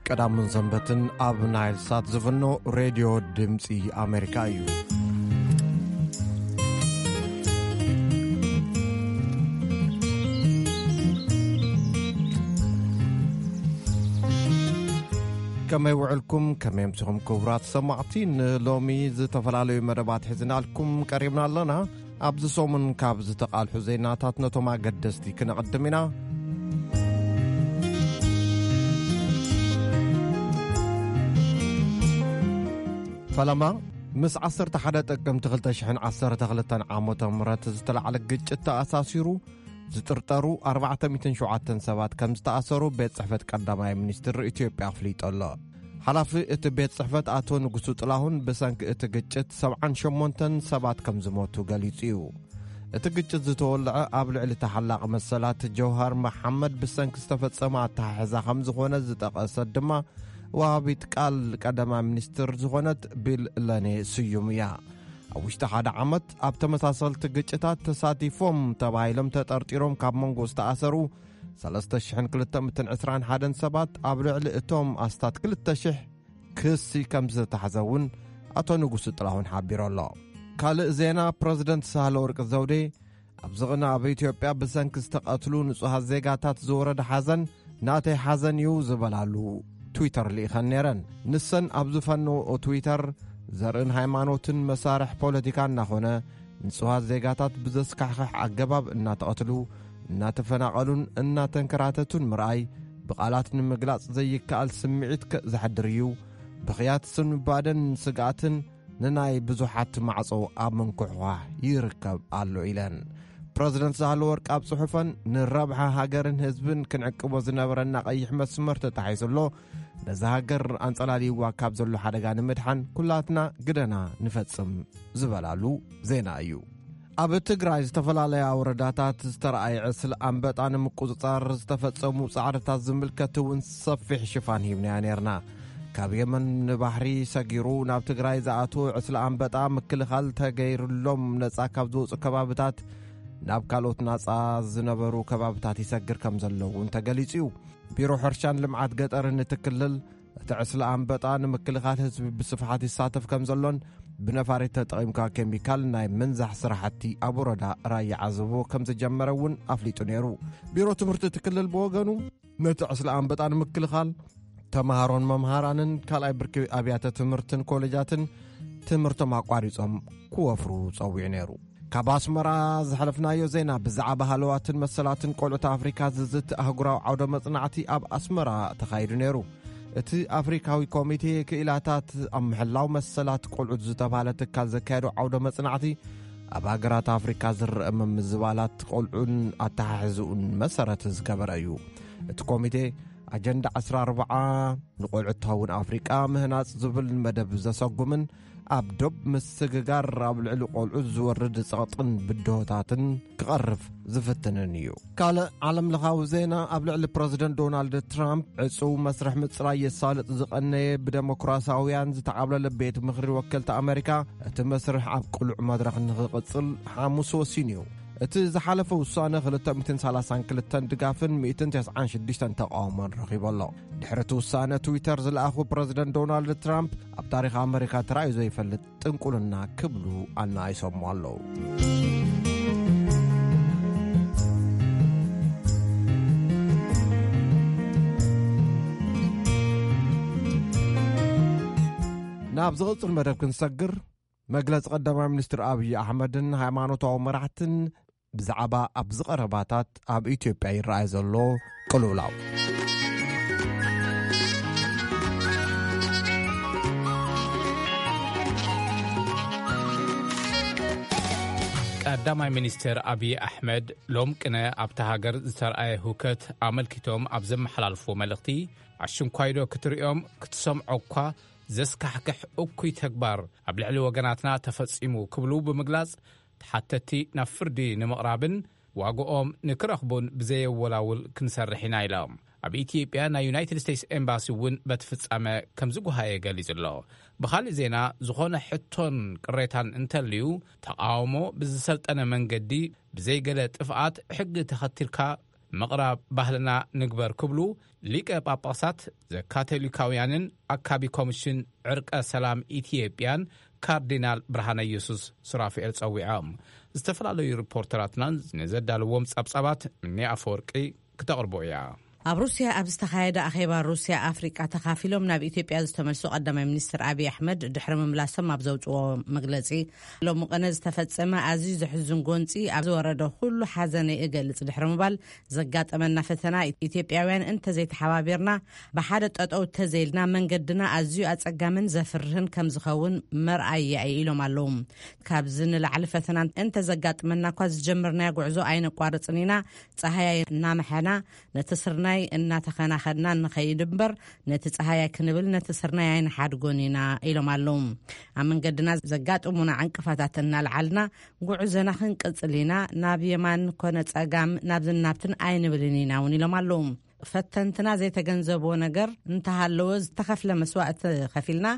ቀዳምን ሰንበትን ኣብ ናይል ሳት ዝፍኖ ሬድዮ ድምፂ ኣሜሪካ እዩ። ከመይ ውዕልኩም፣ ከመይ ኣምሲኹም ክቡራት ሰማዕቲ? ንሎሚ ዝተፈላለዩ መደባት ሒዝናልኩም ቀሪብና ኣለና። ኣብዚ ሰሙን ካብ ዝተቓልሑ ዜናታት ነቶም ኣገደስቲ ክነቕድም ኢና። ፈለማ፣ ምስ ዓሰርተ ሓደ ጥቅምቲ ክልተ ሽሕን ዓሰርተ ክልተን ዓመተ ምህረት ዝተላዕለ ግጭት ተኣሳሲሩ ዝጥርጠሩ ኣርባዕተ ሚእትን ሸውዓተን ሰባት ከም ዝተኣሰሩ ቤት ጽሕፈት ቀዳማይ ሚኒስትር ኢትዮጵያ ኣፍሊጡ ኣሎ። ሓላፊ እቲ ቤት ጽሕፈት ኣቶ ንጉሱ ጥላሁን ብሰንኪ እቲ ግጭት ሰብዓን ሸሞንተን ሰባት ከም ዝሞቱ ገሊጹ እዩ። እቲ ግጭት ዝተወልዐ ኣብ ልዕሊ ተሓላቒ መሰላት ጀውሃር መሓመድ ብሰንኪ ዝተፈጸመ ኣተሓሕዛ ከም ዝኾነ ዝጠቐሰት ድማ ወሃቢት ቃል ቀዳማይ ሚኒስትር ዝኾነት ቢል ለኔ ስዩም እያ። ኣብ ውሽጢ ሓደ ዓመት ኣብ ተመሳሰልቲ ግጭታት ተሳቲፎም ተባሂሎም ተጠርጢሮም ካብ መንጎ ዝተኣሰሩ ሰለስተ ሽሕን ክልተ ሚእትን ዕስራን ሓደን ሰባት ኣብ ልዕሊ እቶም ኣስታት ክልተ ሽሕ ክሲ ከም ዝተታሕዘ እውን ኣቶ ንጉሱ ጥላሁን ሓቢሩ ኣሎ። ካልእ ዜና፣ ፕረዚደንት ሳህለ ወርቂ ዘውዴ ኣብዚ ቅነ ኣብ ኢትዮጵያ ብሰንኪ ዝተቐትሉ ንጹሃት ዜጋታት ዝወረደ ሓዘን ናተይ ሓዘን እዩ ዝበላሉ ትዊተር ልኢኸን ነይረን። ንሰን ኣብ ዝፈነወኦ ትዊተር፣ ዘርእን ሃይማኖትን መሳርሕ ፖለቲካ እናኾነ ንጹሃት ዜጋታት ብዘስካሕክሕ ኣገባብ እናተቐትሉ፣ እናተፈናቐሉን እናተንከራተቱን ምርኣይ ብቓላት ንምግላጽ ዘይከኣል ስምዒት ከ-፣ ዘሕድር እዩ። ብኽያት ስንባደን ስግኣትን ንናይ ብዙሓት ማዕጾ ኣብ ምንኩሕኳሕ ይርከብ ኣሎ ኢለን። ፕረዚደንት ሳህለወርቅ ኣብ ጽሑፈን፣ ንረብሓ ሃገርን ህዝብን ክንዕቅቦ ዝነበረና ቀይሕ መስመር ተታሒዙ ኣሎ። ነዛ ሃገር ኣንጸላልይዋ ካብ ዘሎ ሓደጋ ንምድሓን ኩላትና ግደና ንፈጽም ዝበላሉ ዜና እዩ። ኣብ ትግራይ ዝተፈላለያ ወረዳታት ዝተረኣየ ዕስለ ኣንበጣ ንምቁጽጻር ዝተፈጸሙ ጻዕርታት ዝምልከት እውን ሰፊሕ ሽፋን ሂብናዮ ነይርና። ካብ የመን ንባሕሪ ሰጊሩ ናብ ትግራይ ዝኣትወ ዕስለ ኣንበጣ ምክልኻል ተገይሩሎም ነጻ ካብ ዝወጹ ከባብታት ናብ ካልኦት ናጻ ዝነበሩ ከባብታት ይሰግር ከም ዘሎ እውን ተገሊጹ እዩ። ቢሮ ሕርሻን ልምዓት ገጠርን እቲ ክልል፣ እቲ ዕስለ ኣንበጣ ንምክልኻል ህዝቢ ብስፍሓት ይሳተፍ ከም ዘሎን ብነፋሪት ተጠቒምካ ኬሚካል ናይ ምንዛሕ ስራሕቲ ኣብ ወረዳ ራያ ዓዘቦ ከም ዝጀመረ እውን ኣፍሊጡ ነይሩ። ቢሮ ትምህርቲ እቲ ክልል ብወገኑ፣ ነቲ ዕስለ ኣንበጣ ንምክልኻል ተምሃሮን መምሃራንን ካልኣይ ብርኪ ኣብያተ ትምህርትን ኮሌጃትን ትምህርቶም ኣቋሪጾም ክወፍሩ ጸዊዑ ነይሩ። ካብ ኣስመራ ዝሓለፍናዮ ዜና፣ ብዛዕባ ሃለዋትን መሰላትን ቆልዑት ኣፍሪካ ዝዝት ኣህጉራዊ ዓውደ መጽናዕቲ ኣብ ኣስመራ ተኻይዱ ነይሩ። እቲ ኣፍሪካዊ ኮሚቴ ክኢላታት ኣብ ምሕላው መሰላት ቆልዑት ዝተባህለ ትካል ዘካየዶ ዓውደ መጽናዕቲ፣ ኣብ ሃገራት ኣፍሪካ ዝረአ ምምዝባላት ቆልዑን ኣተሓሕዝኡን መሰረት ዝገበረ እዩ። እቲ ኮሚቴ፣ ኣጀንዳ ዕስራ ኣርብዓ ንቆልዑት ትኸውን ኣፍሪቃ ምህናጽ ዝብል መደብ ዘሰጉምን ኣብ ዶብ ምስግጋር ኣብ ልዕሊ ቆልዑ ዝወርድ ጸቕጥን ብድሆታትን ክቐርፍ ዝፍትንን እዩ። ካልእ ዓለምለኻዊ ዜና፣ ኣብ ልዕሊ ፕረዚደንት ዶናልድ ትራምፕ ዕጹው መስርሕ ምጽራይ የሳልጥ ዝቐነየ ብደሞክራሲያውያን ዝተዓብለለ ቤት ምኽሪ ወከልቲ ኣመሪካ፣ እቲ መስርሕ ኣብ ቅሉዕ መድረኽ ንኽቕጽል ሓሙስ ወሲኑ እዩ። እቲ ዝሓለፈ ውሳነ ክልተ ሚእትን ሰላሳን ክልተን ድጋፍን ሚእትን ተስዓን ሽዱሽተን ተቓውሞን ረኺቡ ኣሎ። ድሕሪ እቲ ውሳነ፣ ትዊተር ዝለኣኹ ፕረዚደንት ዶናልድ ትራምፕ ኣብ ታሪኽ ኣመሪካ ተራእዩ ዘይፈልጥ ጥንቁልና ክብሉ ኣናኢሶሞ ኣለዉ። ናብ ዝቕጽል መደብ ክንሰግር፣ መግለጺ ቀዳማይ ሚኒስትር ኣብዪ ኣሕመድን ሃይማኖታዊ መራሕትን ብዛዕባ ኣብዚ ቀረባታት ኣብ ኢትዮጵያ ይረኣይ ዘሎ ቅልውላው። ቀዳማይ ሚኒስትር ኣብዪ ኣሕመድ ሎም ቅነ ኣብታ ሃገር ዝተረኣየ ህውከት ኣመልኪቶም ኣብ ዘመሓላልፍዎ መልእኽቲ፣ ኣሽንኳይ ዶ ክትርእዮም ክትሰምዖ እኳ ዘስካሕክሕ እኩይ ተግባር ኣብ ልዕሊ ወገናትና ተፈጺሙ ክብሉ ብምግላጽ፣ ተሓተትቲ ናብ ፍርዲ ንምቕራብን ዋግኦም ንክረኽቡን ብዘየወላውል ክንሰርሕ ኢና ኢሎም። ኣብ ኢትዮጵያ ናይ ዩናይትድ ስቴትስ ኤምባሲ እውን በቲ ፍጻመ ከም ዝጓሃየ ገሊጹ ኣሎ። ብኻልእ ዜና፣ ዝኾነ ሕቶን ቅሬታን እንተልዩ፣ ተቓውሞ ብዝሰልጠነ መንገዲ ብዘይገለ ጥፍኣት ሕጊ ተኸቲልካ ምቕራብ ባህልና ንግበር ክብሉ ሊቀ ጳጳሳት ዘካቶሊካውያንን ኣካቢ ኮሚሽን ዕርቀ ሰላም ኢትዮጵያን ካርዲናል ብርሃነ ኢየሱስ ሱራፍኤል ጸዊዖም። ዝተፈላለዩ ሪፖርተራትናን ንዘዳልዎም ጸብጻባት ምኒ ኣፈወርቂ ክተቕርቦ እያ። ኣብ ሩስያ ኣብ ዝተኻየደ ኣኼባ ሩስያ ኣፍሪቃ ተኻፊሎም ናብ ኢትዮጵያ ዝተመልሱ ቀዳማይ ሚኒስትር ኣብይ ኣሕመድ ድሕሪ ምምላሶም ኣብ ዘውፅዎ መግለፂ፣ ሎሚ ቅነ ዝተፈጸመ ኣዝዩ ዘሕዝን ጎንፂ ኣብ ዝወረደ ኩሉ ሓዘነይ እገልጽ ድሕሪ ምባል፣ ዘጋጠመና ፈተና ኢትዮጵያውያን እንተዘይተሓባቢርና፣ ብሓደ ጠጠው ተዘይልና መንገድና ኣዝዩ ኣጸጋምን ዘፍርህን ከም ዝኸውን መርኣያ እዩ ኢሎም ኣለዉ። ካብዚ ንላዕሊ ፈተና እንተዘጋጥመና እኳ ዝጀመርናዮ ጉዕዞ ኣይነቋርጽን ኢና። ጸሃያይ እናመሐና ነቲ ስርናይ እናተኸናኸድና ንኸይድ እምበር፣ ነቲ ጸሃያይ ክንብል ነቲ ስርናይ ኣይንሓድጎን ኢና ኢሎም ኣለዉ። ኣብ መንገድና ዘጋጥሙና ዕንቅፋታት እናልዓልና ጉዕዞና ክንቅጽል ኢና። ናብ የማን ኮነ ጸጋም፣ ናብዝን ናብትን ኣይንብልን ኢና እውን ኢሎም ኣለዉ። ፈተንትና ዘይተገንዘብዎ ነገር እንተሃለወ ዝተኸፍለ መስዋእቲ ከፊልና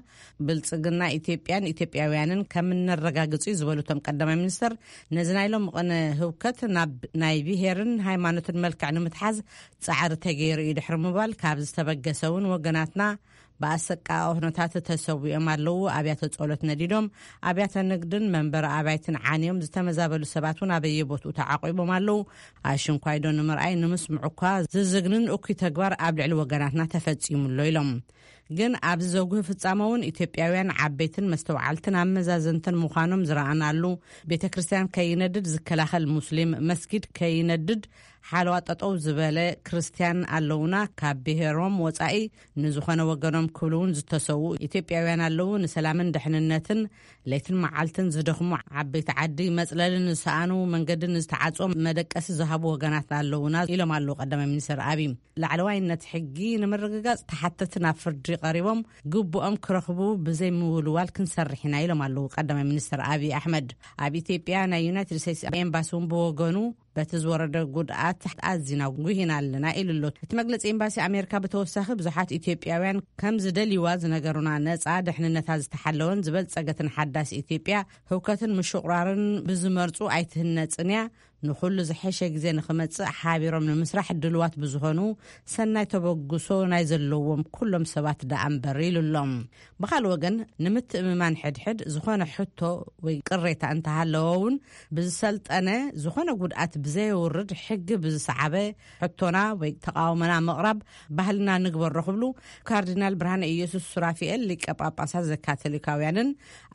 ብልጽግና ኢትዮጵያን ኢትዮጵያውያንን ከም እነረጋግጽ እዩ ዝበሉ እቶም ቀዳማይ ሚኒስትር፣ ነዚ ናይ ሎም ቅነ ህውከት ናብ ናይ ብሄርን ሃይማኖትን መልክዕ ንምትሓዝ ጻዕሪ ተገይሩ እዩ ድሕሪ ምባል፣ ካብ ዝተበገሰ እውን ወገናትና ብኣሰቃቂ ኩነታት ተሰዊኦም ኣለዉ። ኣብያተ ጸሎት ነዲዶም፣ ኣብያተ ንግድን መንበሪ ኣባይትን ዓንዮም፣ ዝተመዛበሉ ሰባት እውን ኣበየቦትኡ ተዓቂቦም ኣለዉ። ኣሽንኳይዶ ንምርኣይ ንምስምዑ እኳ ዝዝግንን እኩይ ተግባር ኣብ ልዕሊ ወገናትና ተፈጺሙ ኣሎ ኢሎም። ግን ኣብዚ ዘጉህ ፍጻመ እውን ኢትዮጵያውያን ዓበይትን መስተውዓልትን ኣመዛዘንትን ምዃኖም ዝረኣናሉ፣ ቤተ ክርስቲያን ከይነድድ ዝከላኸል ሙስሊም፣ መስጊድ ከይነድድ ሓለዋ ጠጠው ዝበለ ክርስቲያን ኣለውና፣ ካብ ብሔሮም ወጻኢ ንዝኾነ ወገኖም ክብሉ እውን ዝተሰዉ ኢትዮጵያውያን ኣለዉ። ንሰላምን ድሕንነትን ለይትን መዓልትን ዝደኽሙ ዓበይቲ ዓዲ፣ መጽለልን ዝሰኣኑ፣ መንገድን ዝተዓጽዎም መደቀሲ ዝሃቡ ወገናት ኣለዉና ኢሎም ኣለዉ ቀዳማይ ሚኒስትር ኣብይ። ላዕለዋይነት ሕጊ ንምርግጋጽ ተሓተቲ ናብ ፍርዲ ቀሪቦም ግቡኦም ክረኽቡ ብዘይ ምውልዋል ክንሰርሕ ኢና ኢሎም ኣለዉ ቀዳማይ ሚኒስትር ኣብይ ኣሕመድ። ኣብ ኢትዮጵያ ናይ ዩናይትድ ስቴትስ ኤምባሲ እውን ብወገኑ በቲ ዝወረደ ጉድኣት ኣዚና ጉሂና ኣለና ኢሉ ኣሎ። እቲ መግለጺ ኤምባሲ ኣሜሪካ ብተወሳኺ ብዙሓት ኢትዮጵያውያን ከም ዝደልይዋ ዝነገሩና ነጻ ድሕንነታ ዝተሓለወን ዝበልጸገትን ሓዳስ ኢትዮጵያ ህውከትን ምሽቑራርን ብዝመርጹ ኣይትህነጽን እያ። ንኹሉ ዝሐሸ ግዜ ንኽመጽእ ሓቢሮም ንምስራሕ ድልዋት ብዝኾኑ ሰናይ ተበግሶ ናይ ዘለዎም ኩሎም ሰባት ደኣ እምበር ኢሉ ኣሎ። ብኻልእ ወገን ንምትእምማን ሕድሕድ ዝኾነ ሕቶ ወይ ቅሬታ እንተሃለወ እውን ብዝሰልጠነ ዝኾነ ጉድኣት ብዘየውርድ ሕጊ ብዝሰዓበ ሕቶና ወይ ተቃውሞና ምቕራብ ባህልና ንግበሮ ክብሉ ካርዲናል ብርሃነ ኢየሱስ ሱራፊኤል ሊቀ ጳጳሳት ዘካቶሊካውያንን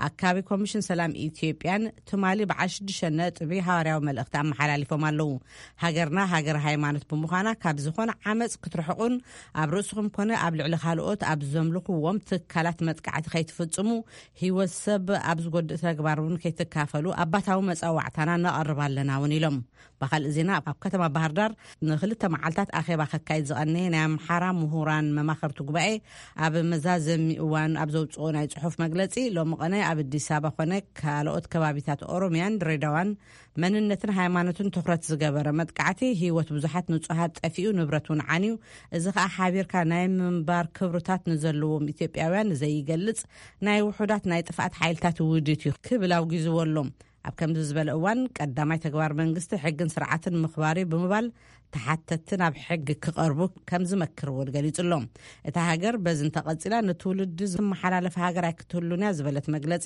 ኣካቢ ኮሚሽን ሰላም ኢትዮጵያን ትማሊ በዓል ሽዱሽተ ነጥቢ ሃዋርያዊ መልእኽቲ ኣመሓላሊፎም ኣለዉ። ሃገርና ሃገር ሃይማኖት ብምዃና ካብ ዝኾነ ዓመፅ ክትርሕቁን ኣብ ርእስኹም ኮነ ኣብ ልዕሊ ካልኦት ኣብ ዘምልኽዎም ትካላት መጥቃዕቲ ከይትፍጽሙ፣ ህይወት ሰብ ኣብ ዝጎድእ ተግባር እውን ከይትካፈሉ ኣባታዊ መጸዋዕታና ነቐርብ ኣለና እውን ኢሎም። ብኻልእ ዜና ኣብ ከተማ ባህር ዳር ንክልተ መዓልታት ኣኼባ ከካይድ ዝቐነየ ናይ ኣምሓራ ምሁራን መማኸርቲ ጉባኤ ኣብ መዛዘሚ እዋን ኣብ ዘውፅኦ ናይ ጽሑፍ መግለጺ ሎሚ ቀነ ኣብ ኣዲስ ኣበባ ኮነ ካልኦት ከባቢታት ኦሮሚያን ድሬዳዋን መንነትን ሃይማኖትን ትኹረት ዝገበረ መጥቃዕቲ ህይወት ብዙሓት ንጹሃት ጠፊኡ ንብረት እውን ዓንዩ፣ እዚ ከዓ ሓቢርካ ናይ ምንባር ክብርታት ንዘለዎም ኢትዮጵያውያን ዘይገልጽ ናይ ውሑዳት ናይ ጥፍኣት ሓይልታት ውዲት እዩ ክብል ኣውጊዝዎ ኣሎ። ኣብ ከምዚ ዝበለ እዋን ቀዳማይ ተግባር መንግስቲ ሕግን ስርዓትን ምኽባር እዩ ብምባል ተሓተትቲ ናብ ሕጊ ክቐርቡ ከም ዝመክር እውን ገሊጹ ኣሎ። እታ ሃገር በዚ እንተቐጺላ ንትውልዲ ዝመሓላለፍ ሃገር ኣይክትህሉን እያ ዝበለት መግለጺ፣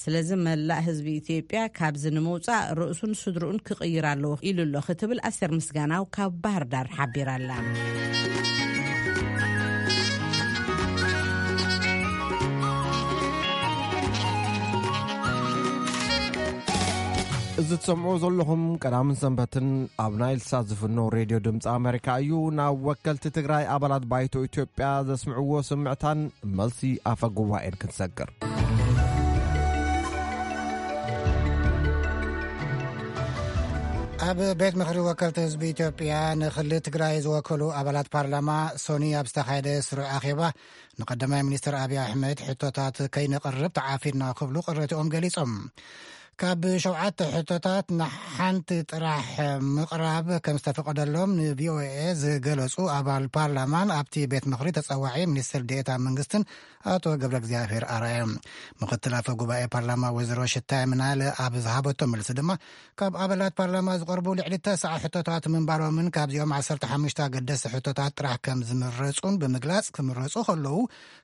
ስለዚ መላእ ህዝቢ ኢትዮጵያ ካብዚ ንምውጻእ ርእሱን ስድርኡን ክቕይር ኣለዎ ኢሉ ኣሎ ክትብል ኣስቴር ምስጋናው ካብ ባህር ዳር ሓቢራ ኣላ። እዚ ትሰምዑ ዘለኹም ቀዳምን ሰንበትን ኣብ ናይል ሳት ዝፍኖ ሬድዮ ድምፂ ኣሜሪካ እዩ። ናብ ወከልቲ ትግራይ ኣባላት ባይቶ ኢትዮጵያ ዘስምዕዎ ስምዕታን መልሲ ኣፈ ጉባኤን ክንሰግር። ኣብ ቤት ምኽሪ ወከልቲ ህዝቢ ኢትዮጵያ ንክልል ትግራይ ዝወከሉ ኣባላት ፓርላማ ሶኒ ኣብ ዝተኻየደ ስሩዕ ኣኼባ ንቀዳማይ ሚኒስትር ኣብይ ኣሕመድ ሕቶታት ከይነቕርብ ተዓፊንና ክብሉ ቅሬትኦም ገሊጾም። ካብ ሸውዓተ ሕቶታት ንሓንቲ ጥራሕ ምቕራብ ከም ዝተፈቐደሎም ንቪኦኤ ዝገለጹ ኣባል ፓርላማን ኣብቲ ቤት ምኽሪ ተጸዋዒ ሚኒስትር ዴኤታ መንግስትን ኣቶ ገብረ እግዚኣብሔር ኣርኣያ። ምክትል ኣፈ ጉባኤ ፓርላማ ወይዘሮ ሽታይ ምናለ ኣብ ዝሃበቶ መልሲ ድማ፣ ካብ ኣባላት ፓርላማ ዝቐርቡ ልዕሊ ተስዓ ሕቶታት ምንባሮምን ካብዚኦም ዓሰርተ ሓሙሽተ ኣገደስቲ ሕቶታት ጥራሕ ከም ዝምረጹን ብምግላጽ፣ ክምረጹ ከለዉ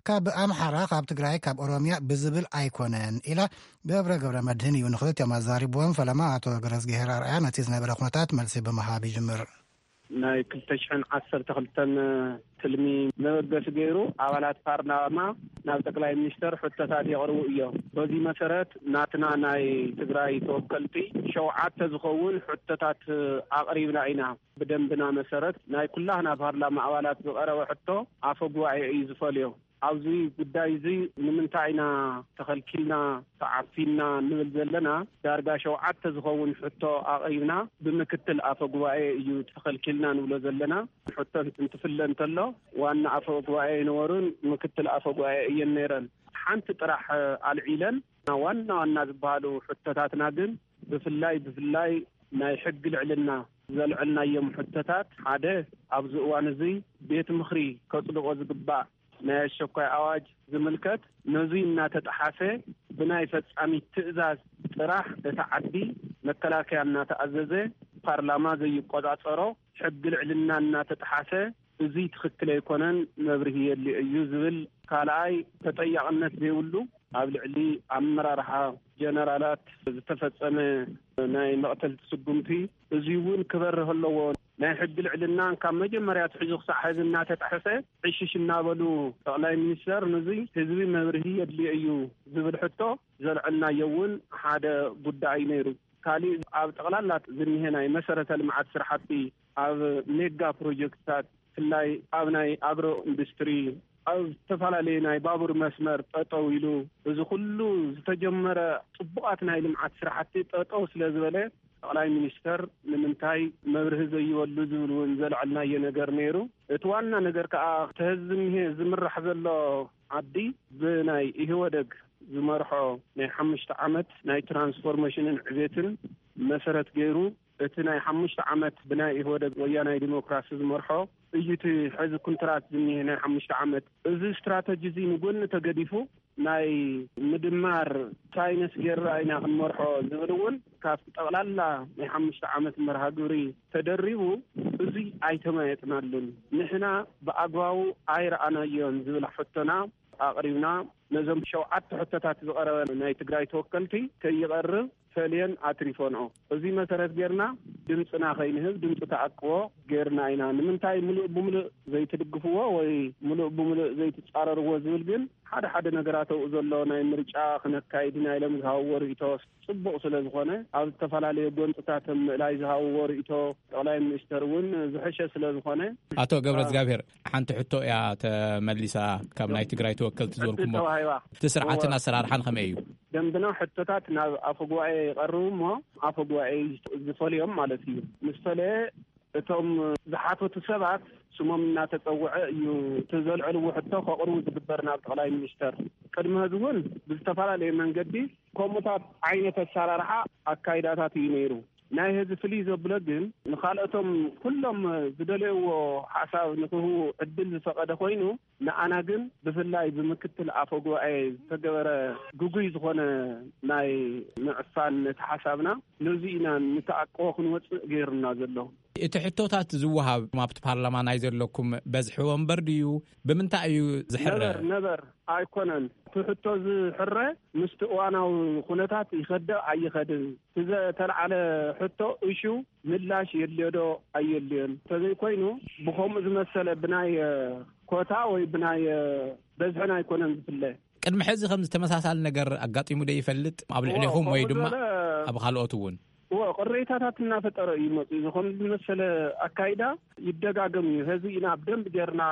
ካብ ኣምሓራ፣ ካብ ትግራይ፣ ካብ ኦሮምያ ብዝብል ኣይኮነን ኢላ። ገብረ ገብረ መድህን እዩ ንክልቲኦም ኣዛሪብዎም። ፈለማ ኣቶ ገረዝግሄር ኣርኣያ ነቲ ዝነበረ ኩነታት መልሲ ብምሃብ ይጅምር። ናይ ክልተ ሽሕን ዓሰርተ ክልተን ትልሚ መበገሲ ገይሩ ኣባላት ፓርላማ ናብ ጠቅላይ ሚኒስተር ሕቶታት የቕርቡ እዮም። በዚ መሰረት ናትና ናይ ትግራይ ተወከልቲ ሸውዓተ ዝኸውን ሕቶታት ኣቕሪብና ኢና። ብደንብና መሰረት ናይ ኩላህና ፓርላማ ኣባላት ዝቐረበ ሕቶ ኣፈ ጉባኤ እዩ ዝፈልዮ። ኣብዚ ጉዳይ እዚ ንምንታይ ኢና ተኸልኪልና፣ ተዓፊንና እንብል ዘለና? ዳርጋ ሸውዓተ ዝኸውን ሕቶ ኣቕሪብና፣ ብምክትል ኣፈ ጉባኤ እዩ ተኸልኪልና ንብሎ ዘለና። ሕቶ እንትፍለ እንተሎ፣ ዋና ኣፈ ጉባኤ ኣይነበሩን ምክትል ኣፈ ጉባኤ እየን ነይረን። ሓንቲ ጥራሕ ኣልዒለን፣ ዋና ዋና ዝበሃሉ ሕቶታትና ግን ብፍላይ ብፍላይ ናይ ሕጊ ልዕልና ዘልዐልናዮም ሕቶታት፣ ሓደ፣ ኣብዚ እዋን እዚ ቤት ምኽሪ ከጽድቆ ዝግባእ ናይ ኣሸኳይ ኣዋጅ ዝምልከት፣ ነዙይ እናተጠሓሰ ብናይ ፈጻሚት ትእዛዝ ጥራሕ እቲ ዓዲ መከላከያ እናተኣዘዘ፣ ፓርላማ ዘይቆጻጸሮ፣ ሕጊ ልዕልና እናተጠሓሰ፣ እዙይ ትኽክል ኣይኮነን፣ መብርሂ የድልዮ እዩ ዝብል። ካልኣይ፣ ተጠያቕነት ዘይብሉ ኣብ ልዕሊ ኣመራርሓ ጀነራላት ዝተፈጸመ ናይ መቕተልቲ ስጉምቲ፣ እዙይ እውን ክበርህ ኣለዎ። ናይ ሕጊ ልዕልና ካብ መጀመርያ ኣትሒዙ ክሳዕ ሕዚ እናተጣሕሰ፣ ዕሽሽ እናበሉ ጠቕላይ ሚኒስተር፣ ነዙይ ህዝቢ መብርሂ የድልዮ እዩ ዝብል ሕቶ ዘልዐልናዮ እውን ሓደ ጉዳይ ነይሩ። ካሊእ፣ ኣብ ጠቕላላ ዝኒሀ ናይ መሰረተ ልምዓት ስራሕቲ፣ ኣብ ሜጋ ፕሮጀክትታት፣ ብፍላይ ኣብ ናይ ኣግሮ ኢንዱስትሪ፣ ኣብ ዝተፈላለዩ ናይ ባቡር መስመር ጠጠው ኢሉ፣ እዚ ኩሉ ዝተጀመረ ጽቡቓት ናይ ልምዓት ስራሕቲ ጠጠው ስለ ዝበለ፣ ጠቕላይ ሚኒስተር ንምንታይ መብርሂ ዘይበሉ ዝብል እውን ዘልዐልናዮ ነገር ነይሩ። እቲ ዋና ነገር ከኣ፣ እቲ ሕዚ ዝኒሀ ዝምራሕ ዘሎ ዓዲ ብናይ ኢህወደግ ዝመርሖ ናይ ሓሙሽተ ዓመት ናይ ትራንስፎርሜሽንን ዕቤትን መሰረት ገይሩ፣ እቲ ናይ ሓሙሽተ ዓመት ብናይ ኢህወደግ ወያናይ ዲሞክራሲ ዝመርሖ እዩ። እቲ ሕዚ ኩንትራት ዝኒሀ ናይ ሓሙሽተ ዓመት፣ እዚ ስትራተጂ እዚ ንጎኒ ተገዲፉ፣ ናይ ምድማር ሳይንስ ጌርና ኢና ክንመርሖ ዝብል እውን ካብቲ ጠቕላላ ናይ ሓሙሽተ ዓመት መርሃ ግብሪ ተደሪቡ፣ እዚ ኣይተማየጥናሉን፣ ንሕና ብኣግባቡ ኣይረኣናዮን ዝብል ሕቶና ኣቕሪብና፣ ነዞም ሸውዓተ ሕቶታት ዝቐረበ ናይ ትግራይ ተወከልቲ ከይቐርብ ፈልየን ኣትሪፈንኦ። እዚ መሰረት ጌርና ድምፅና ከይንህብ ድምፂ ተኣቅቦ ጌርና ኢና። ንምንታይ ምሉእ ብምሉእ ዘይትድግፍዎ ወይ ምሉእ ብምሉእ ዘይትፃረርዎ ዝብል ግን ሓደ ሓደ ነገራት ኣብኡ ዘሎ ናይ ምርጫ ክነካይድ ኢና ኢሎም ዝሃብዎ ርእይቶ ፅቡቕ ስለ ዝኾነ፣ ኣብ ዝተፈላለዩ ጎንፅታት ምእላይ ዝሃብዎ ርእይቶ ጠቕላይ ሚኒስተር እውን ዝሕሸ ስለ ዝኾነ። ኣቶ ገብረ እግዚኣብሔር፣ ሓንቲ ሕቶ እያ ተመሊሳ ካብ ናይ ትግራይ ተወከልቲ ዝበልኩሞ። ተዋሂባ። እቲ ስርዓትን እወ። ኣሰራርሓን ከመይ እዩ? ደንብና ሕቶታት ናብ ኣፈ ጉባኤ ይቐርቡ እሞ ኣፈ ጉባኤ ዝፈልዮም ማለት እዩ። ምስ ፈለየ እቶም ዝሓተቱ ሰባት ስሞም እናተጸውዐ እዩ እቲ ዘልዕልዎ ሕቶ ከቕርቡ ዝግበር ናብ ጠቕላይ ሚኒስተር። ቅድሚ ሕዚ እውን ብዝተፈላለየ መንገዲ ከምኡታት ዓይነት ኣሰራርሓ ኣካይዳታት እዩ ነይሩ። ናይ ሕዚ ፍልይ ዘብሎ ግን ንኻልኦቶም ኩሎም ዝደለይዎ ሓሳብ ንክህቡ ዕድል ዝፈቐደ ኮይኑ፣ ንኣና ግን ብፍላይ ብምክትል ኣፈ ጉባኤ ዝተገበረ ግጉይ ዝኾነ ናይ ምዕፋን ነቲ ሓሳብና ነዚ ኢና ንተኣቅቦ ክንወፅእ ገይሩና ዘሎ። እቲ ሕቶታት ዝወሃብ ኣብቲ ፓርላማ ናይ ዘለኩም በዝሒ ወንበር ድዩ? ብምንታይ እዩ ዝሕረ? ነበር፣ ነበር ኣይኮነን። እቲ ሕቶ ዝሕረ ምስቲ እዋናዊ ኩነታት ይኸደ ኣይኸድን። እቲ ዘተልዓለ ሕቶ እሹ ምላሽ የድልዮ ዶ ኣየድልዮን? እንተዘይኮይኑ ብኸምኡ ዝመሰለ ብናይ፣ እ፣ ኮታ ወይ ብናይ፣ እ፣ በዝሕን ኣይኮነን ዝፍለ። ቅድሚ ሕዚ ከምዚ ተመሳሳሊ ነገር ኣጋጢሙ ዶ ይፈልጥ? ኣብ እዎ፣ ልዕሌኹም ወይ ከምኡ ድማ ዝበለ ኣብ ካልኦት እውን? እዎ፣ ቅሬታታት እናፈጠረ እዩ መፅኡ። እዚ ከም ዝመሰለ ኣካይዳ ይደጋገም እዩ። ሕዚ ኢና ብደንብ ጌርና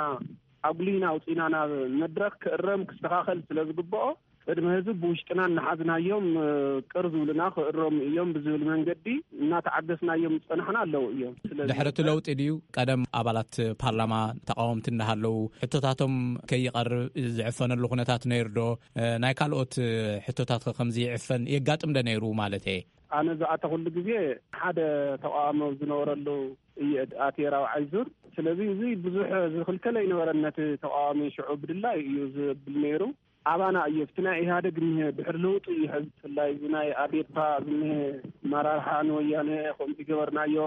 ኣጉሊና ኣውፂና ናብ መድረክ ክእረም ክስተኻኸል ስለ ዝግብኦ፣ ቅድሚ ህዝቢ ብውሽጥና እናሓዝናዮም፣ እ፣ ቅር ዝብሉና ክእረሙ እዮም ብዝብል መንገዲ እናተዓገስናዮም ዝጸናሕና ኣለዉ እዮም። ስለዚ ድሕሪ እቲ ለውጢ ድዩ ቀደም ኣባላት ፓርላማ ተቃወምቲ እንዳሃለዉ ሕቶታቶም ከይቐርብ ዝዕፈነሉ ኩነታት ነይሩ ዶ? እ፣ ናይ ካልኦት፣ እ፣ ሕቶታት ከ ከምዚ ይዕፈን የጋጥም ዶ ነይሩ ማለት እየ? ኣነ ዝኣተኹሉ ግዜ ሓደ ተቃዋሚ ኣብ ዝነበረሉ እየ ኣትየ ራብዓይ ዙር። ስለዚ እዚ ብዙሕ ዝኽልከል ኣይነበረን። ነቲ ተቃዋሚ ሽዑ ብድላይ እዩ ዝብል ነይሩ። ኣባና እዩ፣ ኣብቲ ናይ ኢህኣደግ እኒሀ ድሕሪ ለውጢ እዩ ሕዚ ብፍላይ እዚ ናይ ኣዴፓ ዝኒሀ ኣመራርሓ ንወያነ ከምዚ ገበርናዮ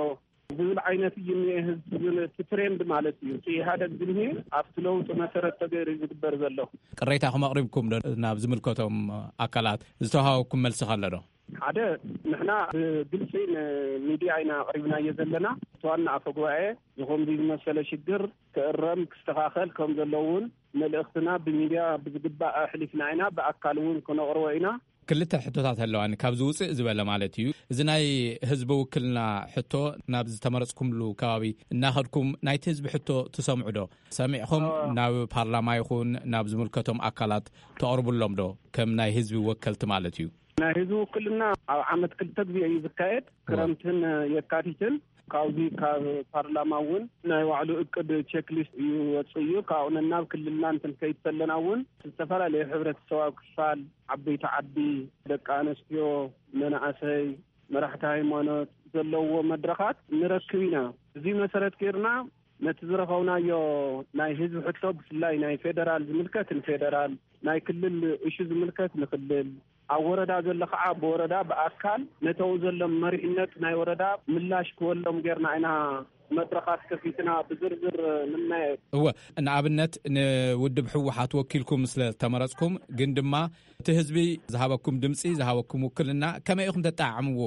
ዝብል ዓይነት እዩ እኒሀ። ህዝቢ ግን እቲ ትሬንድ ማለት እዩ፣ እቲ ኢህኣደግ ዝኒሀ ኣብቲ ለውጢ መሰረት ተገይሩ እዩ ዝግበር ዘሎ። ቅሬታኹም ኣቕሪብኩም ዶ ናብ ዝምልከቶም ኣካላት? ዝተዋሃበኩም መልሲ ከሎ ዶ? ሓደ፣ ንሕና ብግልፂ ንሚድያ ኢና ኣቕሪብናዮ ዘለና። እቲ ዋና ኣፈ ጉባኤ ዝኸምዚ ዝመሰለ ሽግር ክእረም ክስተኻኸል ከም ዘለውን መልእኽትና ብሚድያ ብዝግባእ ኣሕሊፍና ኢና፣ ብኣካል እውን ክነቕርቦ ኢና። ክልተ ሕቶታት ኣለዋኒ፣ ካብዚ ውፅእ ዝበለ ማለት እዩ። እዚ ናይ ህዝቢ ውክልና ሕቶ ናብ ዝተመረፅኩምሉ ከባቢ እናኸድኩም ናይቲ ህዝቢ ሕቶ ትሰምዑ ዶ? ሰሚዕኹም ናብ ፓርላማ ይኹን ናብ ዝምልከቶም ኣካላት ተቕርቡሎም ዶ? ከም ናይ ህዝቢ ወከልቲ ማለት እዩ። ናይ ህዝቢ ውክልና ኣብ ዓመት ክልተ ግዜ እዩ ዝካየድ፣ ክረምትን የካቲትን። ካብዚ ካብ ፓርላማ እውን ናይ ባዕሉ እቅድ ቼክሊስት እዩ ወፅእ እዩ። ካብኡ ነናብ ክልልና እንትን ከይድ ከለና እውን ዝተፈላለዩ ሕብረተሰባዊ ክፋል፣ ዓበይቲ ዓዲ፣ ደቂ ኣንስትዮ፣ መናእሰይ፣ መራሕቲ ሃይማኖት ዘለዎ መድረኻት ንረክብ ኢና። እዚ መሰረት ጌርና ነቲ ዝረኸብናዮ ናይ ህዝቢ ሕቶ ብፍላይ ናይ ፌደራል ዝምልከት ንፌደራል፣ ናይ ክልል እሹ ዝምልከት ንክልል፣ ኣብ ወረዳ ዘሎ ከዓ ብወረዳ ብኣካል ነተው ዘሎ መሪሕነት ናይ ወረዳ ምላሽ ክወሎም ጌርና ኢና መድረኻት ከፊትና ብዝርዝር ንናየ። እወ፣ ንኣብነት ንውድብ ህወሓት ወኪልኩም ስለ ተመረፅኩም፣ ግን ድማ እቲ ህዝቢ ዝሃበኩም ድምፂ፣ ዝሃበኩም ውክልና ከመይ ኢኹም ተጠዓዕምዎ?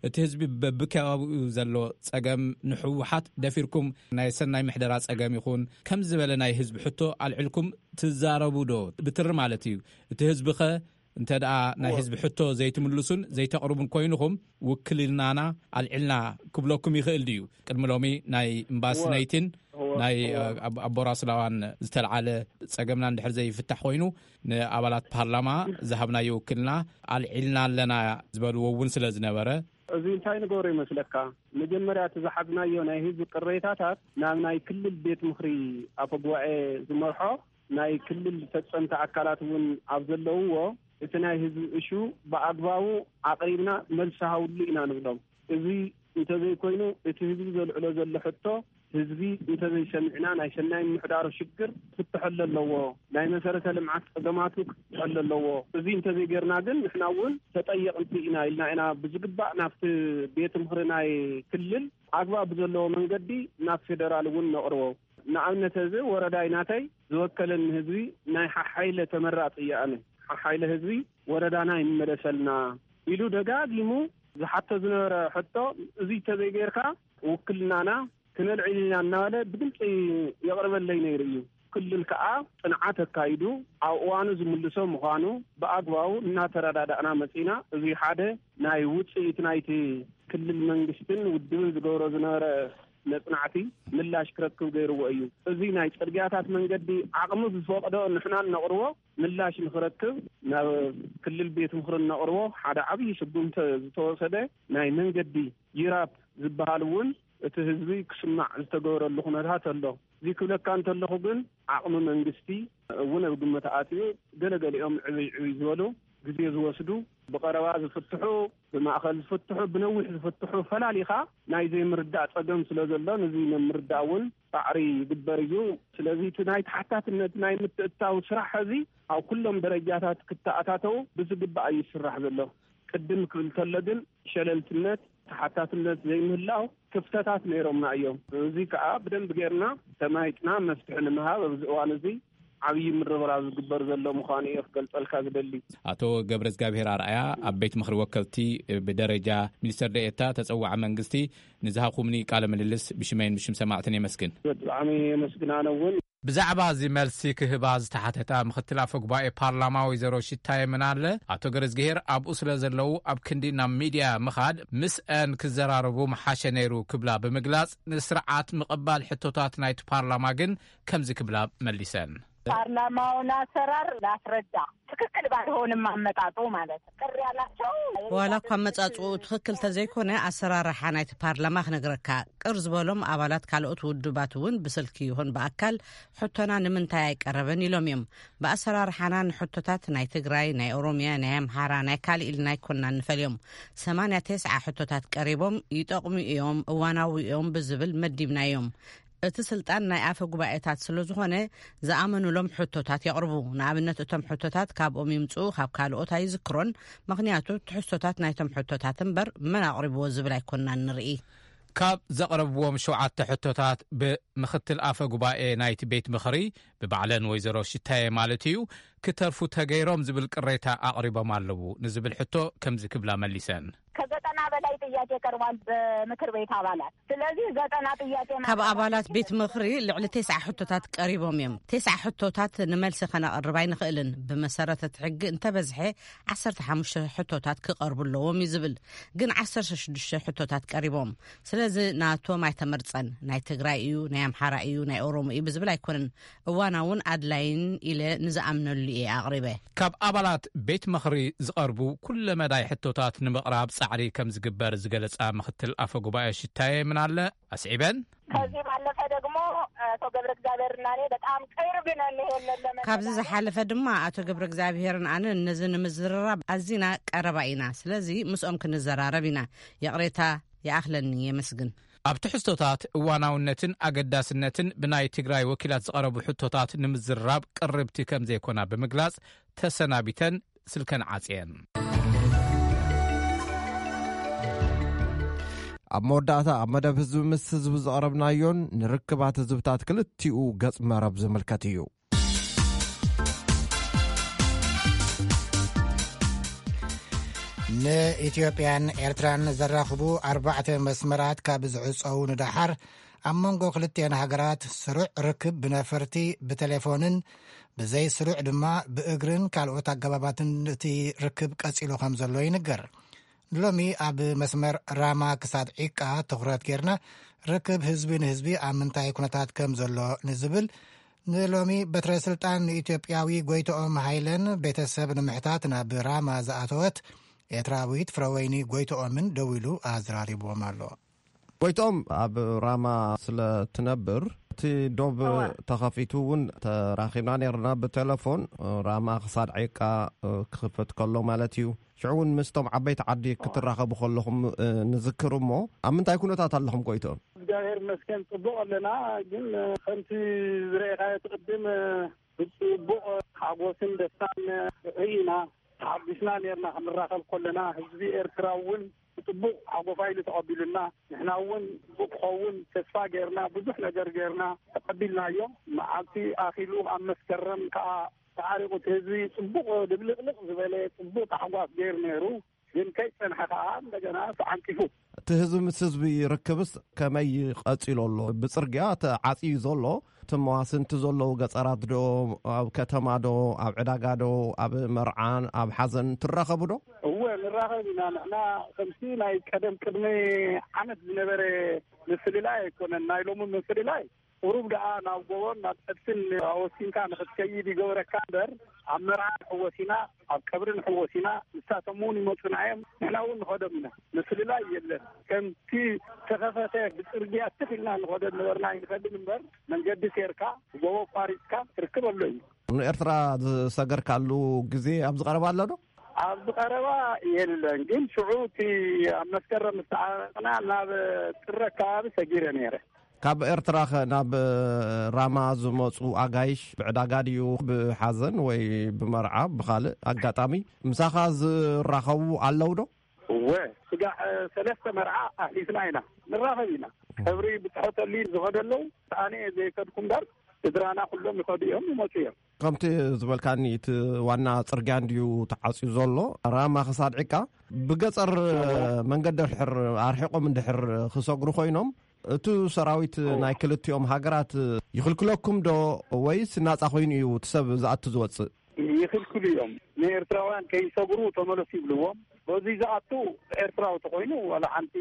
እቲ ህዝቢ በብከባቢኡ ዘሎ ፀገም ንህወሓት ደፊርኩም ናይ ሰናይ ምሕደራ ፀገም ይኹን ከም ዝበለ ናይ ህዝቢ ሕቶ ኣልዕልኩም ትዛረቡ ዶ? ብትሪ ማለት እዩ። እቲ ህዝቢ ኸ እንተ ደኣ ናይ ህዝቢ ሕቶ ዘይትምልሱን ዘይተቕርቡን ኮይንኹም፣ ውክልናና ኣልዒልና ክብለኩም ይኽእል ድዩ? ቅድሚ ሎሚ ናይ እምባስነይቲን ናይ ኣቦራስላዋን ዝተልዓለ ጸገምና እንድሕር ዘይፍታሕ ኮይኑ፣ ንኣባላት ፓርላማ ዝሃብናዮ ውክልና ኣልዒልና ኣለና ዝበልዎ እውን ስለ ዝነበረ፣ እዚ እንታይ ንገብሮ ይመስለካ? መጀመርያ እቲ ዝሓዝናዮ ናይ ህዝቢ ቅሬታታት ናብ ናይ ክልል ቤት ምኽሪ ኣፈ ጉባኤ ዝመርሖ ናይ ክልል ፈጸምቲ ኣካላት እውን ኣብ ዘለውዎ፣ እቲ ናይ ህዝቢ እሹ ብኣግባቡ ኣቕሪብና መልሲ ሃብሉ ኢና ንብሎም። እዚ እንተዘይኮይኑ፣ እቲ ህዝቢ ዘልዕሎ ዘሎ ሕቶ፣ ህዝቢ እንተዘይሰሚዕና፣ ናይ ሰናይ ምምሕዳሩ ሽግር ክፍትሐሉ ኣለዎ። ናይ መሰረተ ልምዓት ጸገማቱ ክፍትሐሉ ኣለዎ። እዚ እንተዘይጌርና ግን፣ ንሕና እውን ተጠየቕቲ ኢና ኢልና ኢና ብዝግባእ ናብቲ ቤት ምኽሪ ናይ ክልል ኣግባብ ብዘለዎ መንገዲ ናብ ፌደራል እውን ነቕርቦ። ንኣብነት፣ እዚ ወረዳይ ናተይ ዝወከለኒ ህዝቢ ናይ ሓሓይለ ተመራጺ እየ ኣነ። ሓሓይለ ህዝቢ ወረዳና ይመለሰልና ኢሉ ደጋጊሙ ዝሓቶ ዝነበረ ሕቶ፣ እዚ እንተዘይጌርካ ውክልናና ክነልዕል ኢና እናበለ ብግልፂ የቕርበለይ ነይሩ እዩ። ክልል ከዓ ፅንዓት ኣካይዱ ኣብ እዋኑ ዝምልሶ ምዃኑ ብኣግባቡ እናተረዳዳእና መፂና። እዚ ሓደ ናይ ውፅኢት ናይቲ ክልል መንግስትን ውድብን ዝገብሮ ዝነበረ መጽናዕቲ ምላሽ ክረክብ ገይርዎ እዩ። እዚ ናይ ጽርግያታት መንገዲ ዓቕሚ ዝፈቕዶ ንሕና እነቕርቦ ምላሽ ንኽረክብ ናብ ክልል ቤት ምኽሪ እነቕርቦ ሓደ ዓብዪ ስጉምቲ ዝተወሰደ ናይ መንገዲ ጅራፕ ዝበሃል እውን እቲ ህዝቢ ክስማዕ ዝተገበረሉ ኩነታት ኣሎ። እዚ ክብለካ እንተለኹ ግን ዓቕሚ መንግስቲ እውን ኣብ ግምት ኣትዩ ገለገሊኦም ዕብይ ዕብይ ዝበሉ ግዜ ዝወስዱ ብቐረባ ዝፍትሑ ብማእኸል ዝፍትሑ ብነዊሕ ዝፍትሑ ፈላሊኻ ናይ ዘይምርዳእ ጸገም ስለ ዘሎ ነዚ ንምርዳእ እውን ጻዕሪ ይግበር እዩ። ስለዚ እቲ ናይ ተሓታትነት ናይ ምትእትታው ስራሕ እዚ ኣብ ኩሎም ደረጃታት ክተኣታተው ብዝግባእ እዩ ዝስራሕ ዘሎ። ቅድም ክብል ከሎ ግን ሸለልትነት ተሓታትነት ዘይምህላው ክፍተታት ነይሮምና እዮም። እዚ ከዓ ብደንብ ጌርና ተማይጥና መፍትሒ ንምሃብ ኣብዚ እዋን እዚ ዓብዪ ምርብራብ ዝግበር ዘሎ ምዃኑ እየ ክገልጸልካ ዝደሊ። ኣቶ ገብረ እግዚኣብሔር ኣርኣያ ኣብ ቤት ምኽሪ ወከልቲ ብደረጃ ሚኒስትር ደኤታ ተጸዋዒ መንግስቲ ንዝሃኹምኒ ቃለ ምልልስ ብሽመይን ብሽም ሰማዕትን የመስግን። ብጣዕሚ የመስግን ኣነ እውን። ብዛዕባ እዚ መልሲ ክህባ ዝተሓተታ ምኽትል ኣፈ ጉባኤ ፓርላማ ወይዘሮ ሽታየ ምናለ፣ ኣቶ ገረዝግሄር ኣብኡ ስለ ዘለዉ ኣብ ክንዲ ናብ ሚድያ ምኻድ ምስአን ክዘራረቡ ምሓሸ ነይሩ ክብላ ብምግላጽ፣ ንስርዓት ምቕባል ሕቶታት ናይቲ ፓርላማ ግን ከምዚ ክብላ መሊሰን። ፓርላማውን ኣሰራር ላስረዳ ትክክል ባይሆንም ኣመጣጡ ማለት ቅር ያላቸው ዋላ እኳ ኣመጻጽኡ ትኽክል ተዘይኮነ፣ ኣሰራርሓ ናይቲ ፓርላማ ክነግረካ፣ ቅር ዝበሎም ኣባላት ካልኦት ውድባት እውን ብስልኪ ይኹን ብኣካል ሕቶና ንምንታይ ኣይቀረበን ኢሎም እዮም። ብኣሰራርሓና ንሕቶታት ናይ ትግራይ፣ ናይ ኦሮሚያ፣ ናይ ኣምሓራ፣ ናይ ካልእ ኢልና ኣይኮንና ንፈልዮም። ሰማንያ ተስዓ ሕቶታት ቀሪቦም፣ ይጠቕሙ እዮም፣ እዋናዊ እዮም ብዝብል መዲብናዮም። እቲ ስልጣን ናይ ኣፈ ጉባኤታት ስለ ዝኾነ፣ ዝኣመኑሎም ሕቶታት የቕርቡ። ንኣብነት፣ እቶም ሕቶታት ካብኦም ይምጽኡ፣ ካብ ካልኦት ኣይዝክሮን። ምኽንያቱ፣ ትሕዝቶታት ናይቶም ሕቶታት እምበር፣ መን ኣቕሪብዎ ዝብል ኣይኮንናን ንርኢ። ካብ ዘቕረብዎም ሸውዓተ ሕቶታት፣ ብምኽትል ኣፈ ጉባኤ ናይቲ ቤት ምኽሪ፣ ብባዕለን ወይዘሮ ሽታየ ማለት እዩ፣ ክተርፉ ተገይሮም ዝብል ቅሬታ ኣቕሪቦም ኣለዉ ንዝብል ሕቶ ከምዚ ክብላ መሊሰን። ከዘጠና በላይ ጥያቄ ቀርቧል በምክር ቤት ኣባላት። ስለዚህ ዘጠና ጥያቄ ካብ ማቅረብ ኣባላት ቤት ምኽሪ ልዕሊ ተስዓ ሕቶታት ቀሪቦም እዮም። ተስዓ ሕቶታት ንመልሲ ከነቕርብ ኣይንኽእልን። ብመሰረት እቲ ሕጊ እንተበዝሐ ዓሰርተ ሓሙሽተ ሕቶታት ክቐርቡ ኣለዎም እዩ ዝብል። ግን ዓሰርተ ሽዱሽተ ሕቶታት ቀሪቦም። ስለዚ ናቶም ኣይተመርጸን። ናይ ትግራይ እዩ፣ ናይ ኣምሓራ እዩ፣ ናይ ኦሮሞ እዩ ብዝብል ኣይኮነን። እዋናውን ኣድላይን ኢለ ንዝኣምነሉ እየ ኣቕሪበ። ካብ ኣባላት ቤት ምኽሪ ዝቐርቡ ኩለ መዳይ ሕቶታት ንምቕራብ ጻዕሪ ከም ዝግበር ዝገለጻ ምኽትል ኣፈ ጉባኤ ሽታየ ምናለ ኣስዒበን። ከዚህ ባለፈ ደግሞ አቶ ገብረ እግዚኣብሔር እና እኔ በጣም ቅርብ ነን። ይሄንን ለመ ካብዚ ዝሓለፈ ድማ ኣቶ ገብረ እግዚኣብሔርን ኣነን ነዚ ንምዝርራብ ኣዚና ቀረባ ኢና። ስለዚ ምስኦም ክንዘራረብ ኢና። ይቕሬታ ይኣኽለኒ። የመስግን። ኣብ ትሕዝቶታት እዋናውነትን ኣገዳስነትን ብናይ ትግራይ ወኪላት ዝቐረቡ ሕቶታት ንምዝርራብ ቅርብቲ ከም ዘይኮና ብምግላጽ ተሰናቢተን ስልከን ዓጽየን። ኣብ መወዳእታ ኣብ መደብ ህዝቢ ምስ ህዝቢ ዝቐረብናዮን ንርክባት ህዝብታት ክልቲኡ ገጽ መረብ ዝምልከት እዩ። ንኢትዮጵያን ኤርትራን ዘራኽቡ ኣርባዕተ መስመራት ካብ ዝዕጸዉ ንደሓር፣ ኣብ መንጎ ክልቲአን ሃገራት ስሩዕ ርክብ ብነፈርቲ፣ ብቴሌፎንን ብዘይ ስሩዕ ድማ ብእግርን ካልኦት ኣገባባትን እቲ ርክብ ቀጺሉ ከም ዘሎ ይንገር። ንሎሚ ኣብ መስመር ራማ ክሳድ ዒቃ ትኹረት ጌርና፣ ርክብ ህዝቢ ንህዝቢ ኣብ ምንታይ ኩነታት ከም ዘሎ ንዝብል፣ ንሎሚ በትረ ስልጣን ንኢትዮጵያዊ ጎይትኦም ሃይለን ቤተሰብ ንምሕታት ናብ ራማ ዝኣተወት ኤርትራዊት ፍረወይኒ ጎይትኦምን ደዊሉ ኣዘራሪብዎም ኣሎ። ጎይትኦም ኣብ ራማ ስለ ትነብር፣ እቲ ዶብ እወ። ተኸፊቱ እውን ተራኺብና ነይርና ብቴሌፎን። ራማ ክሳድ ዒቃ ክኽፈት ከሎ ማለት እዩ። ሽዑ እውን ምስቶም ዓበይቲ ዓዲ ክትራኸቡ ከለኹም፣ እ፣ ንዝክር እሞ፣ ኣብ ምንታይ ኩነታት ኣለኹም ጎይትኦም? እግዚኣብሔር ይመስገን ጽቡቕ ኣለና፣ ግን፣ እ፣ ከምቲ ዝረኣኻዮ እቲ ቅድም፣ እ፣ ብጽቡቕ ሓጎስን ደስታን ርኢና ተሓጒስና ነርና። ክንራኸብ ከለና ህዝቢ ኤርትራ እውን ብጽቡቕ ሓጎፋ ኢሉ ተቐቢሉና፣ ንሕና እውን ጽቡቕ ክኸውን ተስፋ ጌርና፣ ብዙሕ ነገር ጌርና ተቐቢልናዮ። መዓልቲ ኣኺሉ ኣብ መስከረም ከኣ ተዓሪቑ እቲ ህዝቢ ጽቡቕ ድብልቕልቕ ዝበለ ጽቡቕ ታሕጓስ ገይሩ ነይሩ። ግን ከይጸንሐ ከኣ እንደገና ተዓንቂፉ። እቲ ህዝቢ ምስ ህዝቢ ርክብስ ከመይ ቀጺሉ ኣሎ? ብጽርግያ ተዓጽዩ ዘሎ፣ እቲ መዋስንቲ ዘለዉ ገጸራት ዶ፣ ኣብ ከተማ ዶ፣ ኣብ ዕዳጋ ዶ፣ ኣብ መርዓን ኣብ ሓዘን ትራኸቡ ዶ? እወ፣ ንራኸብ ኢና። ንሕና ከምቲ ናይ ቀደም ቅድሚ ዓመት ዝነበረ ምፍልላይ ኣይኮነን። ናይ ሎሚ ምፍልላይ ቁሩብ ደኣ ናብ ጎቦን ናብ ጸድፍን ኣወሲንካ ንኽትከይድ ይገብረካ እምበር፣ ኣብ መርዓ ንሕወስ ኢና፣ ኣብ ቀብሪ ንሕወስ ኢና፣ ንሳቶም እውን ይመጹና እዮም፣ ንሕና እውን ንኸዶም ኢና። ምፍልላይ የለን። ከምቲ ተኸፈተ ብጽርግያ ትኽ ኢልና ንኸዶ ነበርና ኣይንኸድን እምበር፣ መንገዲ ሴርካ፣ ጎቦ ኣቋሪጽካ ትርክብ ኣሎ እዩ። ንኤርትራ ዝሰገርካሉ ግዜ ኣብዚ ቀረባ ኣሎ ዶ? ኣብዚ ቀረባ የለን፣ ግን ሽዑ እቲ ኣብ መስከረም ምስ ተዓረቕና ናብ ጥሪ ኣከባቢ ሰጊረ ነይረ። ካብ ኤርትራኸ ናብ ራማ ዝመጹ ኣጋይሽ ብዕዳጋ ድዩ፣ ብሓዘን ወይ ብመርዓ፣ ብኻልእ ኣጋጣሚ ምሳኻ ዝራኸቡ ኣለዉ ዶ? እወ፣ ስጋዕ ሰለስተ መርዓ ኣሕሊፍና ኢና፣ ንራኸብ ኢና። ቀብሪ ብጽሖ ተልዩ ዝኸዱ ኣለዉ፣ ኣነ እየ ዘይከድኩ እምበር፣ ስድራና ኩሎም ይኸዱ እዮም፣ ይመጹ እዮም። ከምቲ ዝበልካኒ፣ እቲ ዋና ጽርግያ እንድዩ ተዓጽዩ ዘሎ፣ ራማ ክሳድ ዒቃ። ብገጸር እወ። መንገዲ ድሕር ኣርሒቖም እንድሕር ክሰግሩ ኮይኖም፣ እቲ ሰራዊት እወ። ናይ ክልቲኦም ሃገራት ይኽልክለኩም ዶ፣ ወይስ ናጻ ኮይኑ እዩ እቲ ሰብ ዝኣቱ ዝወጽእ? ይኽልክሉ እዮም። ንኤርትራውያን ከይሰግሩ ተመለሱ ይብልዎም። በዚ ዝኣቱ ኤርትራዊ ተኮይኑ ዋላ ሓንቲ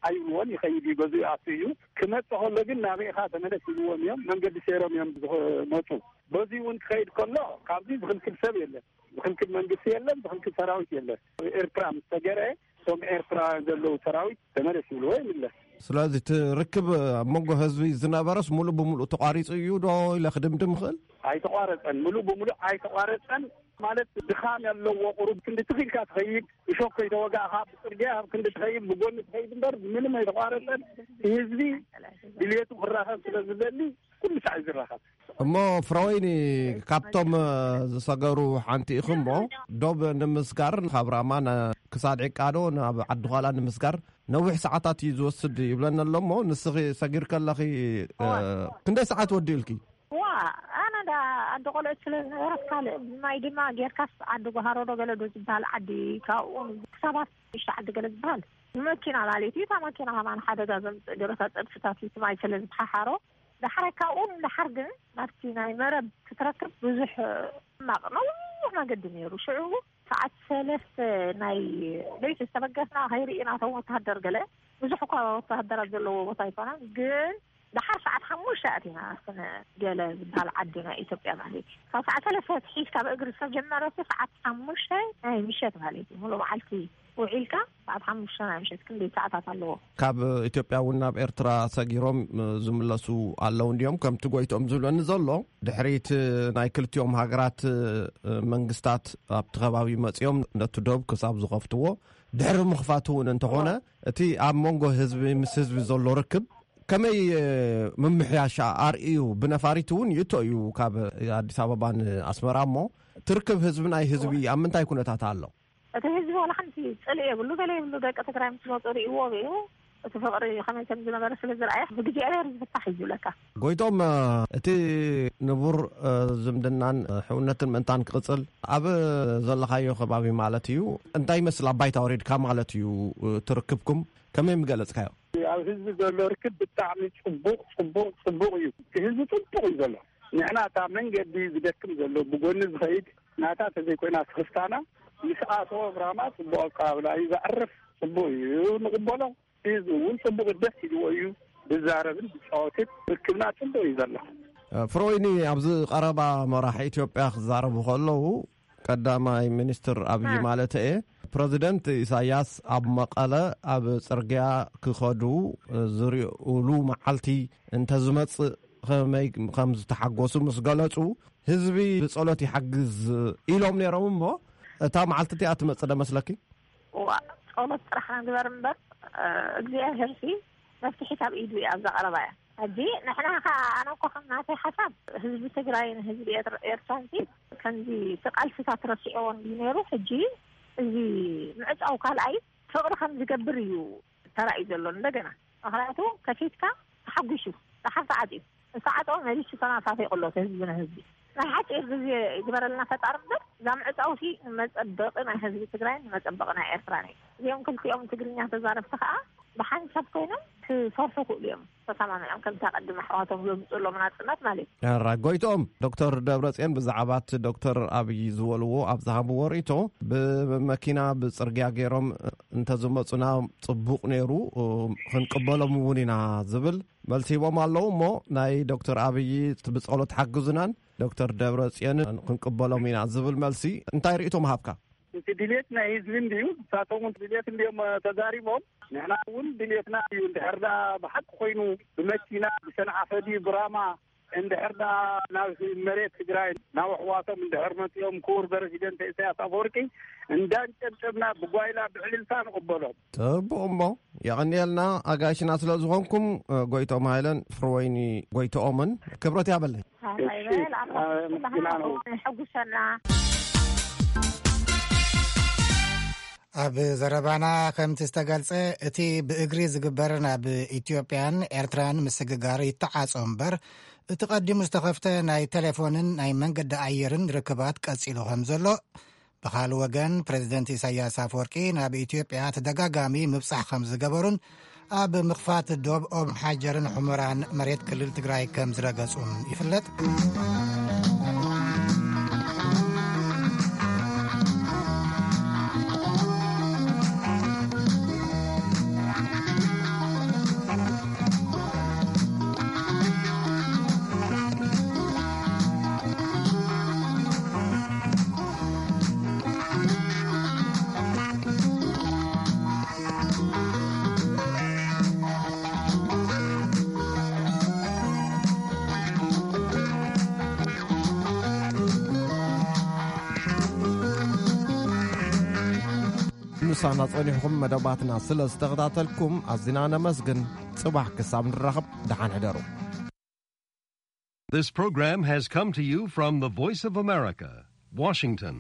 ኣይብልዎን፣ ይኸይድ እዩ፣ በዚ ይኣቱ እዩ። ክመጽእ ከሎ ግን ናበይ ኢኻ ተመለስ ይብልዎም እዮም፣ መንገዲ ሰይሮም እዮም ዝመጹ። በዚ እውን ክኸይድ ከሎ ካብዚ ዝኽልክል ሰብ የለን፣ ዝኽልክል መንግስቲ የለን፣ ዝኽልክል ሰራዊት የለን። ኤርትራ ምስ ተገረ እቶም ኤርትራ ዘለዉ ሰራዊት ተመለስ ይብልዎ ይምለስ። ስለዚ እቲ ርክብ ኣብ መንጎ ህዝቢ ዝነበረስ ሙሉእ ብሙሉእ ተቋሪጹ እዩ ዶ ኢለ ክድምድም ይኽእል? ኣይተቋረጸን፣ ሙሉእ ብሙሉእ ኣይተቋረጸን። ማለት ድኻም ያለዎ ቁሩብ ክንዲ ትኺልካ ትኸይድ፣ እሾክ ከይተወጋእካ ብጽርግያ ኣብ ክንዲ ትኸይድ፣ ብጎኒ ትኸይድ እምበር ምንም ኣይተቋረጸን። ህዝቢ ድልየቱ ክራኸብ ስለ ዝደሊ ኩሉ ሳዕ እዩ ዝራኸብ። እሞ ፍረወይኒ፣ ካብቶም ዝሰገሩ ሓንቲ ኢኹም እሞ፣ ዶብ ንምስጋር ካብ ራማ ነ- ክሳድ ዕቃዶ ናብ ዓዲ ዃላ ንምስጋር ነዊሕ ሰዓታት እዩ ዝወስድ ይብለና ኣሎ እሞ፣ ንስኺ ሰጊር ከለኺ እ፣ እዋ። ክንደይ ሰዓት ወዲኡልኪ? ዋ፣ ኣነ ዳ ዓዲ ቆልዑት ስለ ዝነበረት ካልእ ማይ ድማ ጌርካስ ዓዲ ጓሃሮ ዶ ገለ ዶ ዝበሃል ዓዲ፣ ካብኡ ክሳባት ሽዱሽተ ዓዲ ገለ ዝበሃል ብመኪና ማለት እዩ። እታ መኪና ከማን ሓደጋ ዘምፅእ ገለታት ፀድፍታት እዩ፣ እቲ ማይ ስለ ዝፈሓሓሮ። ዳሕራይ ካብኡ ንዳሓር ግን ናብቲ ናይ መረብ ክትረክብ ብዙሕ ሕማቕ ነዊሕ መገዲ ነይሩ። ሽዑ ሰዓት ሰለስተ ናይ ለይቲ ዝተበገስና ከይርኢና እቶም ወተሃደር ገለ ብዙሕ እኳ ወተሃደራት ዘለዎ ቦታ ኣይኮነን፣ ግን ደሓር ሰዓት ሓሙሽተ ኣቲና ስነ ገለ ዝበሃል ዓዲ ናይ ኢትዮጵያ ማለት እዩ። ካብ ሰዓት ሰለስተ ሒዝካ ብእግሪ ዝተጀመረ እሱ ሰዓት ሓሙሽተ ናይ ምሸት ማለት እዩ። ሙሉእ መዓልቲ ውዒልካ ሰዓት ሓሙሽተ ናይ ምሸት ክንደይ ሰዓታት ኣለዎ? ካብ ኢትዮጵያ እውን ናብ ኤርትራ ሰጊሮም ዝምለሱ ኣለዉ እንዲዮም፣ ከምቲ ጎይቶም ዝብለኒ ዘሎ። ድሕሪት ናይ ክልቲኦም ሃገራት መንግስታት ኣብቲ ከባቢ መጺኦም ነቲ ዶብ ክሳብ ዝኸፍትዎ፣ ድሕሪ ምኽፋቱ እውን እንተኾነ፣ እቲ ኣብ መንጎ ህዝቢ ምስ ህዝቢ ዘሎ ርክብ ከመይ ምምሕያሻ ኣርእዩ? ብነፋሪት እውን ይእቶ እዩ ካብ ኣዲስ ኣበባ ንኣስመራ። እሞ ትርክብ ህዝቢ ናይ ህዝቢ ኣብ ምንታይ ኩነታት ኣሎ? እቲ ህዝቢ ዋላ ሓንቲ ጽልኢ የብሉ፣ ገለ የብሉ። ደቂ ትግራይ ምስ መጹ ርእይዎ እዩ። እቲ ፍቕሪ ከመይ ከም ዝነበረ ስለ ዝረኣየ ብግዜ ኣየር ዝፍታሕ እዩ ዝብለካ። ጎይቶም፣ እቲ ንቡር ዝምድናን ሕውነትን ምእንታን ክቕጽል ኣብ ዘለኻዮ ከባቢ ማለት እዩ፣ እንታይ ይመስል? ኣብ ባይታ ወሪድካ ማለት እዩ ትርክብኩም ከመይ ምገለጽካዮ? ኣብ ህዝቢ ዘሎ ርክብ ብጣዕሚ ጽቡቕ፣ ጽቡቕ፣ ጽቡቕ እዩ። እቲ ህዝቢ ጽቡቕ እዩ ዘሎ። ንሕና እታ መንገዲ ዝደክም ዘሎ ብጎኒ ዝኸይድ ናታ ተዘይኮይና ስኽፍታና ምስ ኣተወ ብራማ ጽቡቕ ኣቀባብላ እዩ ዘዕርፍ። ጽቡቕ እዩ፣ ንቕበሎ። ህዝቢ እውን ጽቡቕ ደስ ኢልዎ እዩ ዝዛረብን ዝጻወትን። ርክብና ጽቡቕ እዩ ዘሎ። ፍሮይኒ፣ ኣብዚ ቀረባ መራሒ ኢትዮጵያ ክዛረቡ ከለዉ፣ ቀዳማይ ሚኒስትር ኣብይ ማለት እየ፣ ፕረዚደንት ኢሳያስ ኣብ መቐለ ኣብ ጽርግያ ክኸዱ ዝርእሉ መዓልቲ እንተዝመጽእ ከመይ ከም ዝተሓጎሱ ምስ ገለጹ፣ ህዝቢ ብጸሎት ይሓግዝ ኢሎም ነይሮም። እሞ እታ መዓልቲ እቲኣ ትመጽእ ዶ መስለኪ? እዋ፣ ጸሎት ጥራሕ ንግበር እምበር፣ እግዚኣብሄር ሲ መፍትሒ ካብ ኢዱ እያ ኣብዛ ቀረባ እያ። ሕጂ ንሕና ከ፣ ኣነ እኮ ከም ናተይ ሓሳብ፣ ህዝቢ ትግራይን ህዝቢ ኤርትራን ሲ ከምዚ እቲ ቃልስታት ረሲዕዎ እንዲ ነይሩ፣ ሕጂ እዚ ምዕጻው ካልኣይ ፍቕሪ ከም ዝገብር እዩ ተራእዩ ዘሎ። እንደገና ምኽንያቱ ከፊትካ ተሓጒሱ፣ ደሓር ተዓጽዩ፣ ዝተዓጸወ መሊሱ ተናፋፊቑ ኣሎ ህዝቢ ንህዝቢ። ናይ ሓጺር ግዜ ይግበረልና ፈጣሪ እምበር፣ እዛ ምዕጻው ሲ ንመጸበቒ ናይ ህዝቢ ትግራይን ንመጸበቒ ናይ ኤርትራን እዩ። እዚኦም ክልቲኦም ትግርኛ ተዛረብቲ ከኣ ብሓንሳብ ኮይኖም ክሰርሑ ክእሉ እዮም። ተሰማሚዖም ከምቲ ኣቐድም ኣሕዋቶም ዘምፅእሎም ናፅነት ማለት እዩ። ራይ ጎይቶም፣ ዶክተር ደብረፅዮን ብዛዕባ እቲ ዶክተር ኣብይ ዝበልዎ ኣብ ዝሃብዎ ርእይቶ፣ ብመኪና ብፅርግያ ገይሮም እንተዝመፁና ፅቡቕ ነይሩ፣ ክንቅበሎም እውን ኢና ዝብል መልሲ ሂቦም ኣለዉ። እሞ ናይ ዶክተር ኣብይ ብፀሎት ሓግዙናን ዶክተር ደብረፅዮንን ክንቅበሎም ኢና ዝብል መልሲ እንታይ ርእይቶ ምሃብካ? እቲ ድሌት ናይ ህዝቢ እንድዩ፣ ንሳቶም እውን ድሌት እንድዮም ተዛሪቦም። ንሕና እውን ድሌትና እዩ። እንድሕር ዳ ብሓቂ ኮይኑ ብመኪና ብሰንዓፈ ድዩ ብራማ፣ እንድሕር ዳ ናብ መሬት ትግራይ ናብ ኣሕዋቶም እንድሕር መፂኦም፣ ክቡር ፕረዚደንት ኢሳያስ ኣፈወርቂ እንዳንጨብጨብና ብጓይላ ብዕልልታ ንቕበሎም። ጽቡቕ እሞ፣ የቐንየልና ኣጋይሽና ስለ ዝኾንኩም፣ ጎይቶም ሃይለን ፍርወይኒ ጎይቶኦምን ክብረት ያበለይ። ኣታ ይበል፣ ኣታ ኣመስግና ነው። ሕጉሰና። ኣብ ዘረባና ከምቲ ዝተገልጸ፣ እቲ ብእግሪ ዝግበር ናብ ኢትዮጵያን ኤርትራን ምስግጋር ይተዓጾ እምበር፣ እቲ ቀዲሙ ዝተኸፍተ ናይ ቴሌፎንን ናይ መንገዲ ኣየርን ርክባት ቀጺሉ ከም ዘሎ፣ ብኻልእ ወገን፣ ፕረዚደንት ኢሳያስ ኣፈወርቂ ናብ ኢትዮጵያ ተደጋጋሚ ምብጻሕ ከም ዝገበሩን ኣብ ምኽፋት ዶብ ኦም ሓጀርን ሑመራን መሬት ክልል ትግራይ ከም ዝረገጹን ይፍለጥ። ምሳና ጸኒሕኩም መደባትና ስለ ዝተኸታተልኩም ኣዚና ነመስግን። ጽባሕ ክሳብ ንራኸብ ደሓን ሕደሩ። This program has come to you from the Voice of America, Washington.